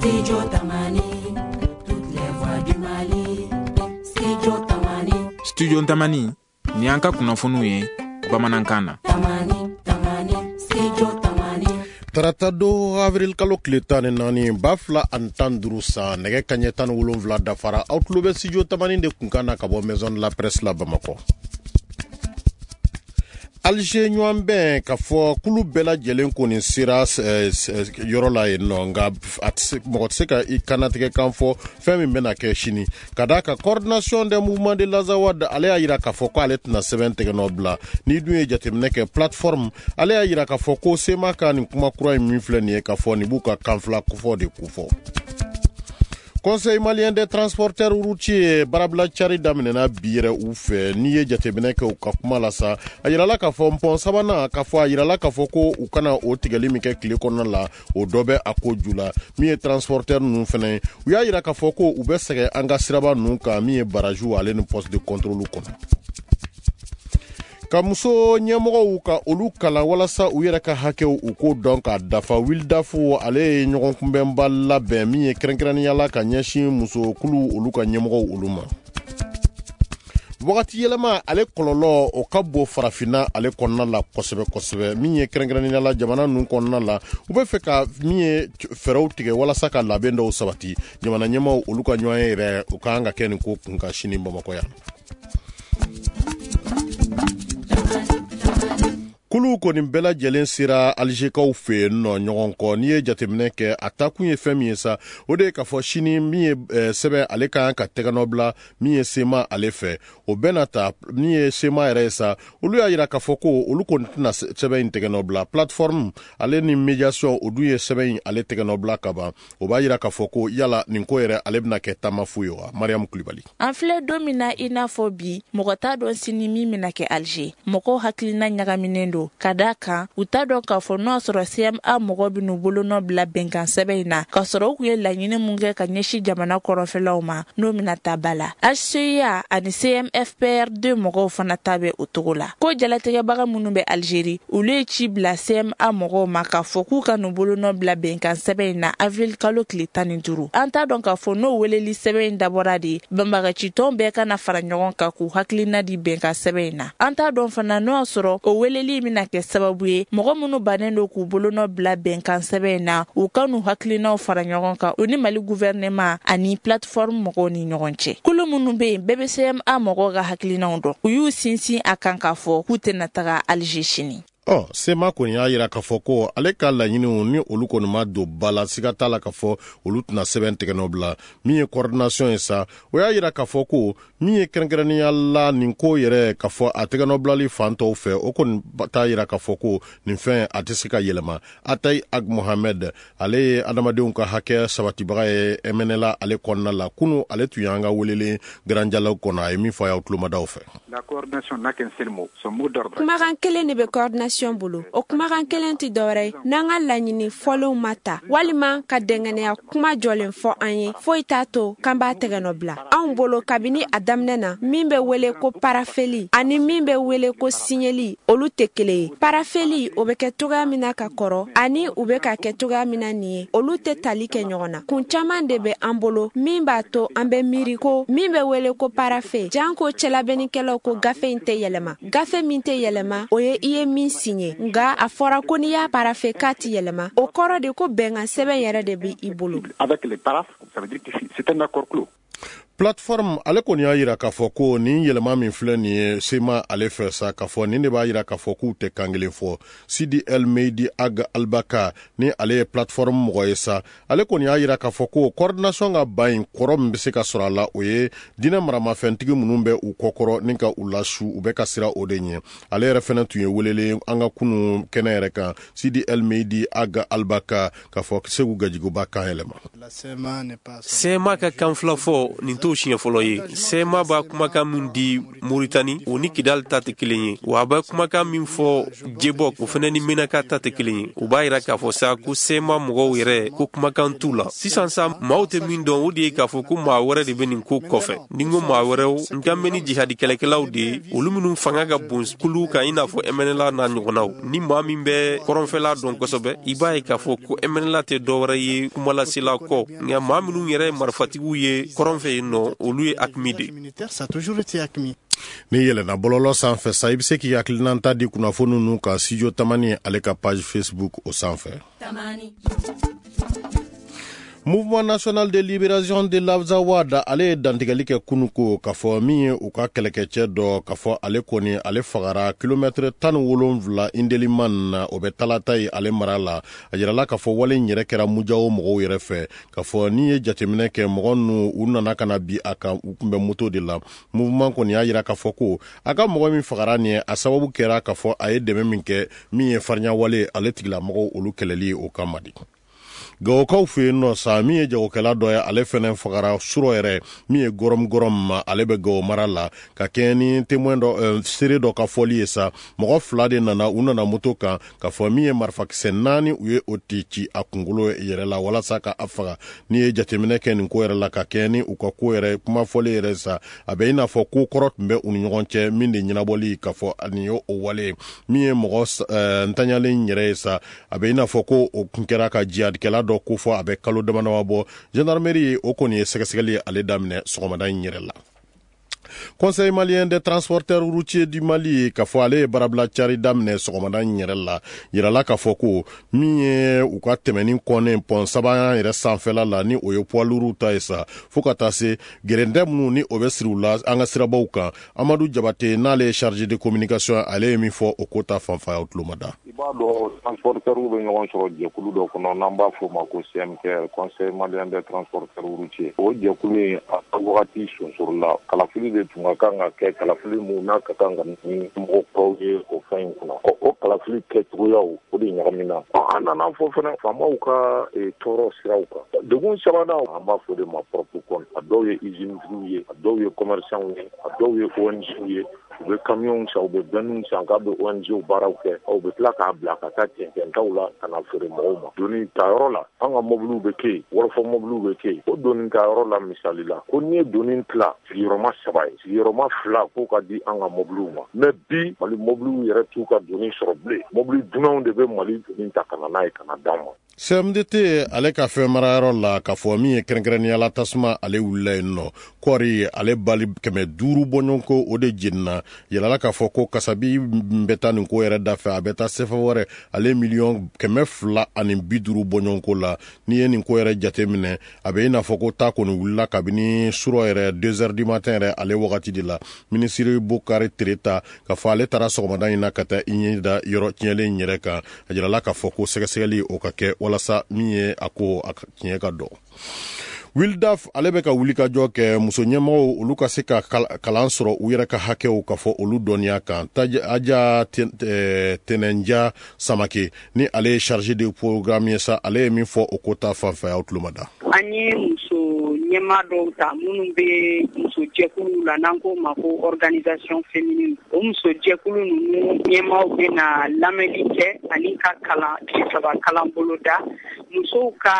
Studio Tamani, toutes les voix du Mali. Studio Tamani. Studio Tamani, ni an ka kunnafoniw ye bamanankan na. Tamani, Tamani, Studio Tamani. Tarata don, avril kalo tile 14, 2015 san, nɛgɛ kaɲɛ 17 dafara. Aw tulo bɛ Studio Tamani de kunkan na ka bɔ Maison de la Presse la Bamakɔ. Alger ɲɔgɔnbɛn, ka fɔ kulu bɛɛ lajɛlen kɔni sera yɔrɔ la yen nɔ, nka mɔgɔ tɛ se ka i kannatigɛ kan fɔ fɛn min bɛna kɛ sini, ka d'a kan Coordination des mouvements de l'Azawad, ale y'a yira k'a fɔ ko ale tɛna sɛbɛn tɛgɛ nɔ bila. N'i dun ye jateminɛ kɛ, plateforme, ale y'a yira k'a fɔ ko CMA ka nin kuma kura in min filɛ nin ye, k'a fɔ nin b'u ka kanfila kofɔ de kofɔ. Conseil malien des transporteurs routiers, baarabila cari daminɛna bi yɛrɛ u fɛ. N'i ye jateminɛ kɛ u ka kuma la sa, a yirala k'a fɔ pɔn sabanan, k'a fɔ a yirala k'a fɔ ko u kana o tigɛli min kɛ tile kɔnɔna la, o dɔ bɛ a ko ju la. Min ye transporteur ninnu fɛnɛ ye, u y'a yira k'a fɔ ko u bɛ sɛgɛn an ka siraba ninnu kan, min ye barrage ale ni poste de contrôle kɔnɔ. Ka muso ɲɛmɔgɔw ka olu kalan walasa u yɛrɛ ka hakɛw u k'o dɔn k'a dafa, WILDAF, ale ye ɲɔgɔn kunbɛnba labɛn min ye kɛrɛnkɛrɛnnenya la ka ɲɛsin musokulu olu ka ɲɛmɔgɔw olu ma. Wagati yɛlɛma, ale kɔlɔlɔ o ka bon Farafinna ale kɔnɔna la kosɛbɛ kosɛbɛ. Min ye kɛrɛnkɛrɛnnenya la jamana ninnu kɔnɔna la, u bɛ fɛ ka min ye fɛɛrɛw tigɛ walasa ka labɛn dɔw sabati. Jamana ɲɛmaw olu ka ɲɔgɔn ye yɛrɛ, u ka kan ka kɛ nin ko kun kan sini Bamakɔ yan. Kulu kɔni bɛɛ lajɛlen sera Alizekaw fɛ yen nɔ ɲɔgɔn kɔ. N'i ye jateminɛ kɛ, a takun ye fɛn min ye sa, o de ye k'a fɔ sini min ye sɛbɛn ale ka kan ka tɛgɛnɔ bila min ye CMA ale fɛ. O bɛɛ na ta, min ye CMA yɛrɛ ye sa, olu y'a yira k'a fɔ ko olu kɔni tɛna sɛbɛn in tɛgɛnɔ bila. Plateforme ale ni médiation, o dun ye sɛbɛn in ale tɛgɛnɔ bila ka ban. O b'a yira k'a fɔ ko yala nin ko yɛrɛ ale bɛna kɛ taama fu ye wa? Mariam Kulibali. An filɛ don min na i n'a fɔ bi, mɔgɔ t'a dɔn sini min bɛna kɛ Alger. Mɔgɔw hakilina ɲagaminen don, ka da kan u t'a dɔn k'a fɔ n'o y'a sɔrɔ CMA mɔgɔ bɛn'u bolonɔ bila bɛnkan sɛbɛn in na, k'a sɔrɔ u kun ye laɲini mun kɛ ka ɲɛsin jamana kɔrɔnfɛlaw ma, n'o bɛna ta ba la. HCUA ani CMFPR2 mɔgɔw fana ta bɛ o cogo la. Ko jalatigɛbaga minnu bɛ Algérie, olu ye ci bila CMA mɔgɔw ma k'a fɔ k'u ka n'u bolonɔ bila bɛnkan sɛbɛn in na avril kalo tile 15. An t'a dɔn k'a fɔ n'o weleli sɛbɛn in dabɔra de banbagacitɔn bɛɛ ka na fara ɲɔgɔn kan k'u hakilina di bɛnkan sɛbɛn in na. An t'a dɔn fana n'o y'a sɔrɔ o weleli bɛna kɛ sababu ye mɔgɔ minnu bannen don k'u bolonɔ bila bɛnkan sɛbɛn in na, u ka n'u hakilinaw fara ɲɔgɔn kan u ni Mali gouvernement ani plateforme mɔgɔw ni ɲɔgɔn cɛ. Kulu minnu bɛ yen, bɛɛ bɛ CMA mɔgɔw ka hakilinaw dɔn. U y'u sinsin a kan k'a fɔ k'u tɛna taga Alger sini. Ɔ CMA kɔni y'a yira k'a fɔ ko ale ka laɲiniw ni olu kɔni ma don ba la, siga t'a la k'a fɔ olu tɛna sɛbɛn tɛgɛnɔ bila. Min ye coordination ye sa, o y'a yira k'a fɔ ko min ye kɛrɛnkɛrɛnnenya la nin ko yɛrɛ, k'a fɔ a tɛgɛnɔ bilali fan tɔw fɛ, o kɔni t'a yira k'a fɔ ko nin fɛn a tɛ se ka yɛlɛma. Atayi Ag Mohamed, ale ye adamadenw ka hakɛ sabatibaga ye MNLA ale kɔnɔna la. Kunu ale tun y'an ka welelen Grand Dialogue kɔnɔ. A ye min fɔ a y'aw tulomadaw fɛ. Kumakan kelen de bɛ coordination bolo. O kumakan kelen tɛ dɔwɛrɛ ye n'an ka laɲini fɔlenw ma ta walima ka dɛngɛnɛya kuma jɔlen fɔ an ye, foyi t'a to k'an b'a tɛgɛnɔ bila. Anw bolo, kabini a daminɛ na, min bɛ wele ko parafeli ani min bɛ wele ko siɲɛli, olu tɛ kelen ye. Parafeli, o bɛ kɛ cogoya min na ka kɔrɔ ani u bɛ ka kɛ cogoya min na nin ye, olu tɛ tali kɛ ɲɔgɔn na. Kun caman de bɛ an bolo min b'a to an bɛ miiri ko min bɛ wele ko parafe, janko cɛlabɛnnikɛlaw ko gafe in tɛ yɛlɛma. Gafe min tɛ yɛlɛma, o ye i ye min siɲɛ, nka a fɔra ko n'i y'a parafe k'a ti yɛlɛma. O kɔrɔ de ko bɛnkan sɛbɛn yɛrɛ de bɛ i bolo. Avec les paraphes, ça veut dire que c'est un accord clos. Plateforme, ale kɔni y'a yira k'a fɔ ko nin yɛlɛma min filɛ nin ye CMA ale fɛ sa, k'a fɔ nin de b'a yira k'a fɔ k'u tɛ kan kelen fɔ. Sidi El Meidi Ag Albaka, ni ale ye plateforme mɔgɔ ye sa, ale kɔni y'a yira k'a fɔ ko coordination ka ban in kɔrɔ min bɛ se ka sɔrɔ a la, o ye diinɛ maramafɛntigi minnu bɛ u kɔkɔrɔ ni ka u lasu, u bɛ ka sira o de ɲɛ. Ale yɛrɛ fɛnɛ tun ye welelen an ka kunu kɛnɛ yɛrɛ kan. Sidi El Meidi Ag Albaka, k'a fɔ Segu Gajigoba kan yɛlɛma. CMA ka kan fila fɔ. fɔ, nin t'o siɲɛ fɔlɔ ye. CMA b'a kumakan min di Moritani, o ni Kidali ta tɛ kelen ye, wa a bɛ kumakan min fɔ Jebɔk, o fana ni Menaka ta tɛ kelen ye. O b'a yira k'a fɔ sa ko CMA mɔgɔw yɛrɛ ko kumakan t'u la. Sisan sa, maaw tɛ min dɔn, o de ye k'a fɔ ko maa wɛrɛ de bɛ nin ko kɔfɛ. Ni n ko maa wɛrɛw, n kan bɛ ni jihadi kɛlɛkɛlaw de ye, olu minnu fanga ka bon kuluw kan, i n'a fɔ MNLA n'a ɲɔgɔnnaw. Ni maa min bɛ kɔrɔnfɛla dɔn kosɛbɛ, i b'a ye k'a fɔ ko MNLA tɛ dɔwɛrɛ ye kumalasela kɔ, nka maa minnu yɛrɛ ye marifatigiw ye kɔrɔn fɛ yen nɔ, olu ye AQMI de. N'i yɛlɛnna bɔlɔlɔ sanfɛ sa, i bɛ se k'i hakilinata di kunnafoni ninnu kan Studio Tamani ale ka page Facebook o sanfɛ. Mouvement national de libération de l'Azawad, ale ye dantigɛli kɛ kunun ko k'a fɔ min ye u ka kɛlɛkɛcɛ dɔ, k'a fɔ ale kɔni ale fagara kilomɛtɛrɛ 17 Indeliman na, o bɛ Talata ye ale mara la. A yirala k'a fɔ wale in yɛrɛ kɛra Mujawo mɔgɔw yɛrɛ fɛ, k'a fɔ n'i ye jateminɛ kɛ, mɔgɔ ninnu u nana ka na bi a kan, u tun bɛ moto de la. Mouvement kɔni y'a yira k'a fɔ ko a ka mɔgɔ min fagara nin ye, a sababu kɛra k'a fɔ a ye dɛmɛ min kɛ min ye farinya wale ale tigilamɔgɔw olu kɛlɛli ye, o kama de. Gawokaw fɛ yen nɔ sa, min ye jagokɛla dɔ ye, ale fɛnɛ fagara surɔ yɛrɛ min ye Gɔrɔm Gɔrɔm ma, ale bɛ Gawo mara la. Ka kɛɲɛ ni témoin dɔ, seere dɔ ka fɔli ye sa, mɔgɔ fila de nana, u nana moto kan, k'a fɔ min ye marifakisɛ naani, u ye o ti ci a kunkolo yɛrɛ la walasa ka a faga. N'i ye jateminɛ kɛ nin ko yɛrɛ la, ka kɛɲɛ ni u ka ko yɛrɛ kuma fɔli yɛrɛ sa, a bɛ i n'a fɔ ko kɔrɔ tun bɛ u ni ɲɔgɔn cɛ min de ɲɛnabɔli, k'a fɔ nin ye o wale ye. Min ye mɔgɔ ntanyalen yɛrɛ ye sa, a bɛ i n'a fɔ ko o kun kɛra ka jihadikɛla dɔ ko fɔ a bɛ kalo dama dama bɔ. Gendarmerie o kɔni ye sɛgɛsɛgɛli ale daminɛ sɔgɔmada in yɛrɛ la. Conseil malien des transporteurs routiers du Mali, k'a fɔ ale ye baarabila cari daminɛ sɔgɔmada in yɛrɛ la. Yirala k'a fɔ ko min ye u ka tɛmɛni kɔnnen pɔn sabanan yɛrɛ sanfɛla la, ni o ye poids lourds ta ye sa, fo ka taa se gɛrɛntɛ minnu ni o bɛ siri u la an ka sirabaw kan. Amadu Jabate, n'ale ye chargé de communication, ale ye min fɔ o ko ta fanfa, y'aw tulo ma da. I b'a dɔn, transporteurs bɛ ɲɔgɔn sɔrɔ jɛkulu dɔ kɔnɔ n'an b'a fɔ o ma ko CMTR, Conseil malien des transporteurs routiers. O jɛkulu in, a wagati sonsorola, kalafili de tun ka kan ka kɛ, kalafili mun n'a ka kan ka ni mɔgɔ kuraw ye o fɛn in kunna. Ɔ, o kalafili kɛcogoyaw, o de ɲagamina. An nana fɔ fana faamaw ka tɔɔrɔ siraw kan. Degun sabanan, an b'a fɔ o de ma propre compte. A dɔw ye usine tigiw ye, a dɔw ye commerçant ye, a dɔw ye ONG ye. U bɛ camion san, u bɛ bennes san k'a bɛ ONG baaraw kɛ, u bɛ tila k'a bila ka taa cɛncɛntaw la ka na feere mɔgɔw ma. Doni tayɔrɔ la, an ka mobiliw bɛ kɛ yen, wɔlɔfɔ mobiliw bɛ kɛ yen. O doni tayɔrɔ la, misali la, ko n'i ye doni tila sigiyɔrɔma saba ye, sigiyɔrɔma fila k'o ka di an ka mobiliw ma. Mais bi, Mali mobiliw yɛrɛ t'u ka doni sɔrɔ bilen, mobili dunanw de bɛ Mali doni ta ka na n'a ye ka na d'an ma. CMDT ale ka fɛn marayɔrɔ la, k'a fɔ min ye kɛrɛnkɛrɛnnenya la, tasuma ale wulila yen nɔ, kɔɔri ale bali 500 bɔɲɔgɔnko o de jenina. Yɛlɛla k'a fɔ ko kasabi bɛ taa nin ko yɛrɛ da fɛ, a bɛ taa sefa wɛrɛ ale 250 miliyɔn bɔɲɔgɔnko la. N'i ye nin ko yɛrɛ jate minɛ, a bɛ i n'a fɔ ko ta kɔni wulila kabini surɔ yɛrɛ 2 heures du matin yɛrɛ ale wagati de la. Minisiri Bokari Tereta, k'a fɔ ale taara sɔgɔmada in na ka taa i ɲɛ da yɔrɔ tiɲɛlen yɛrɛ kan. A jirala k'a fɔ ko sɛgɛsɛgɛli o ka kɛ walasa min ye a ko a tiɲɛ ka dɔn. Wildaf ale bɛ ka wulikajɔ kɛ muso ɲɛmɔgɔw olu ka se ka kalan sɔrɔ u yɛrɛ ka hakɛw, ka fɔ olu dɔnniya kan. Aja Tɛnɛnja Samake, ni ale ye chargé de programme ye sa, ale ye min fɔ o ko ta fanfɛ, aw tulo ma da. An ye muso ɲɛma dɔw ta minnu bɛ muso jɛkuluw la, n'an k'o ma ko organisation féminine. O muso jɛkulu ninnu ɲɛmaw bɛ na lamɛnni kɛ ani ka kalan tile 3 kalan boloda, musow ka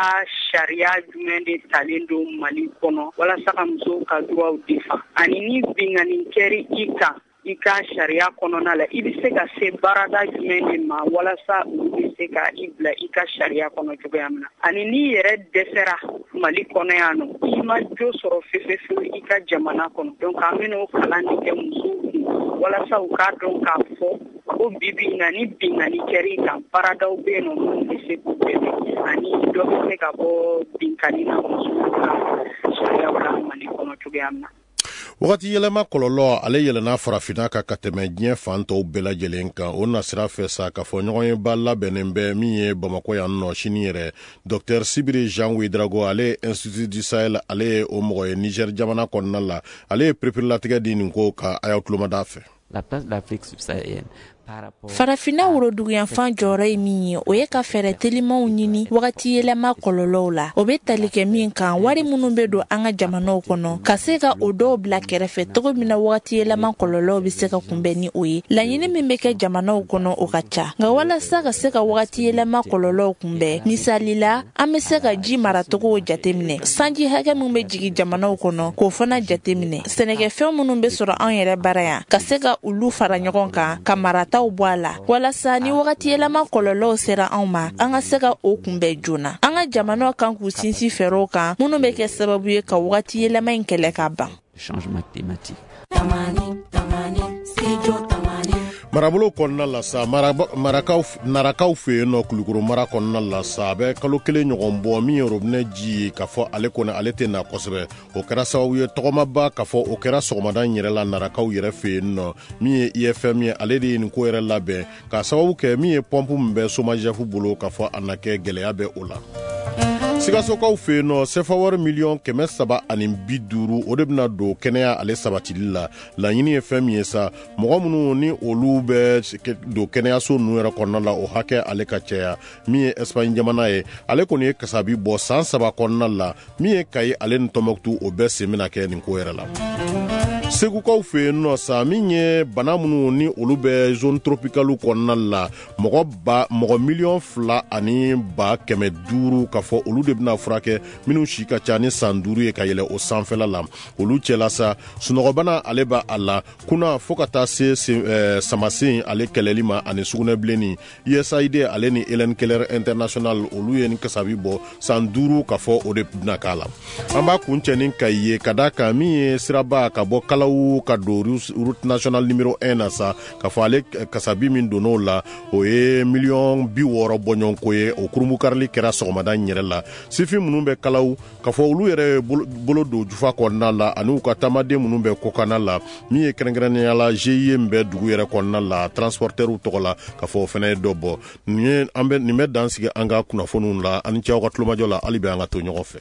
sariya jumɛn de talen don Mali kɔnɔ walasa ka musow ka droits défend, ani ni binkanni kɛra i kan i ka sariya kɔnɔna la, i bɛ se ka se baarada jumɛn de ma walasa olu bɛ se ka i bila i ka sariya kɔnɔ cogoya min na, ani n'i yɛrɛ dɛsɛra Mali kɔnɔ yan nɔ, i ma jo sɔrɔ fefefewu i ka jamana kɔnɔ. Donc an bɛna o kalan de kɛ musow kun walasa u k'a dɔn k'a fɔ ko bi bi in na, ni binkanni kɛra i kan, baaradaw bɛ yen nɔ minnu bɛ se k'u dɛmɛ, ani dɔ bɛ se ka bɔ binkanni na musow ka sariyaw la Mali kɔnɔ cogoya min na. Wagati yɛlɛma kɔlɔlɔ ale yɛlɛnna Farafinna kan ka tɛmɛ diɲɛ fan tɔw bɛɛ lajɛlen kan. O nasira fɛ sa, k'a fɔ ɲɔgɔn ye ba labɛnnen bɛ min ye Bamakɔ yan nɔ sini yɛrɛ. Dr Sibiri Jean Ouedraogo, ale ye Institut du Sahel, ale ye o mɔgɔ ye Niger jamana kɔnɔna la, ale ye pereperelatigɛ di nin ko ka. A y'aw tulomada fɛ. La place de l'Afrique subsaharienne. Farafinna woroduguyanfan jɔyɔrɔ ye min ye, o ye ka fɛɛrɛ telimanw ɲini wagati yɛlɛma kɔlɔlɔw la. O bɛ tali kɛ min kan, wari minnu bɛ don an ka jamanaw kɔnɔ, ka se ka o dɔw bila kɛrɛfɛ cogo min na wagati yɛlɛma kɔlɔlɔw bɛ se ka kunbɛn ni o ye. Laɲini min bɛ kɛ jamanaw kɔnɔ, o ka ca, nka walasa ka se ka wagati yɛlɛma kɔlɔlɔw kunbɛn, misali la, an bɛ se ka ji maracogow jateminɛ, sanji hakɛ min bɛ jigin jamanaw kɔnɔ, k'o fana jateminɛ, sɛnɛkɛfɛn minnu bɛ sɔrɔ anw yɛrɛ bara yan, ka se ka olu fara ɲɔgɔn kan ka marataw bɔ a la, walasa ni wagati yɛlɛma kɔlɔlɔw sera anw ma, an ka se ka o kunbɛn joona. An ka jamanaw kan k'u sinsin fɛɛrɛw kan minnu bɛ kɛ sababu ye ka wagati yɛlɛma in kɛlɛ ka ban. Marabolo kɔnɔna la sa, Narakaw fɛ yen nɔ, Kulukoro mara kɔnɔna la sa, a bɛ kalo 1 ɲɔgɔn bɔ, min ye robinet ji ye, k'a fɔ ale kɔni ale tɛ na kosɛbɛ. O kɛra sababu ye tɔgɔmaba k'a fɔ o kɛra sɔgɔmada in yɛrɛ la Narakaw yɛrɛ fɛ yen nɔ. Min ye IFM ye, ale de ye nin ko yɛrɛ labɛn k'a sababu kɛ min ye pɔnpu min bɛ SOMAGEF bolo, k'a fɔ a na kɛ gɛlɛya bɛ o la. Sikasokaw fɛ yen nɔ, sefa wari 350 miliyɔn, o de bɛna don kɛnɛya ale sabatili la. Laɲini ye fɛn min ye sa, mɔgɔ minnu ni olu bɛ don kɛnɛyaso ninnu yɛrɛ kɔnɔna la, o hakɛ ale ka caya. Min ye Espagne jamana ye, ale kɔni ye kasabi bɔ san 3 kɔnɔna la. Min ye Kayi ale ni Tɔnbɔkutu, o bɛɛ sen bɛna kɛ nin ko yɛrɛ la. Segukaw fɛ yen nɔ sa, min ye bana minnu ni olu bɛ zone tropicale kɔnɔna la, mɔgɔ ba mɔgɔ 2,5 200 000, k'a fɔ olu de bɛna furakɛ, minnu si ka ca ni san 5 ye ka yɛlɛ o sanfɛla la. Olu cɛla sa, sunɔgɔbana ale b'a a la kunna, fo ka taa se samasen ale kɛlɛli ma ani sugunɛbilenni. USAID ale ni Helen Keller International, olu ye ni kasabi bɔ san 5, ka fɔ o de bɛna k'a la. An b'a kun cɛ ni Kayi ye, ka da kan min ye siraba ka bɔ Kalawu ka don route nationale numéro 1 na sa, k'a fɔ ale kasabi min donn'o la, o ye 60 miliyɔn bɔɲɔgɔnko ye. O kurunbonkarili kɛra sɔgɔmada in yɛrɛ la. Sifin minnu bɛ Kalawu, k'a fɔ olu yɛrɛ ye bolo don jufa kɔnɔna la, ani u ka taamaden minnu bɛ kɔkanna la, min ye kɛrɛnkɛrɛnnenya la GIE min bɛ dugu yɛrɛ kɔnɔna la, transportɛriw tɔgɔ la, k'a fɔ o fana ye dɔ bɔ. Nin ye an bɛ nin bɛ dan sigi an ka kunnafoniw la. Ani cɛw ka tulomajɔ la, hali bi an ka to ɲɔgɔn fɛ.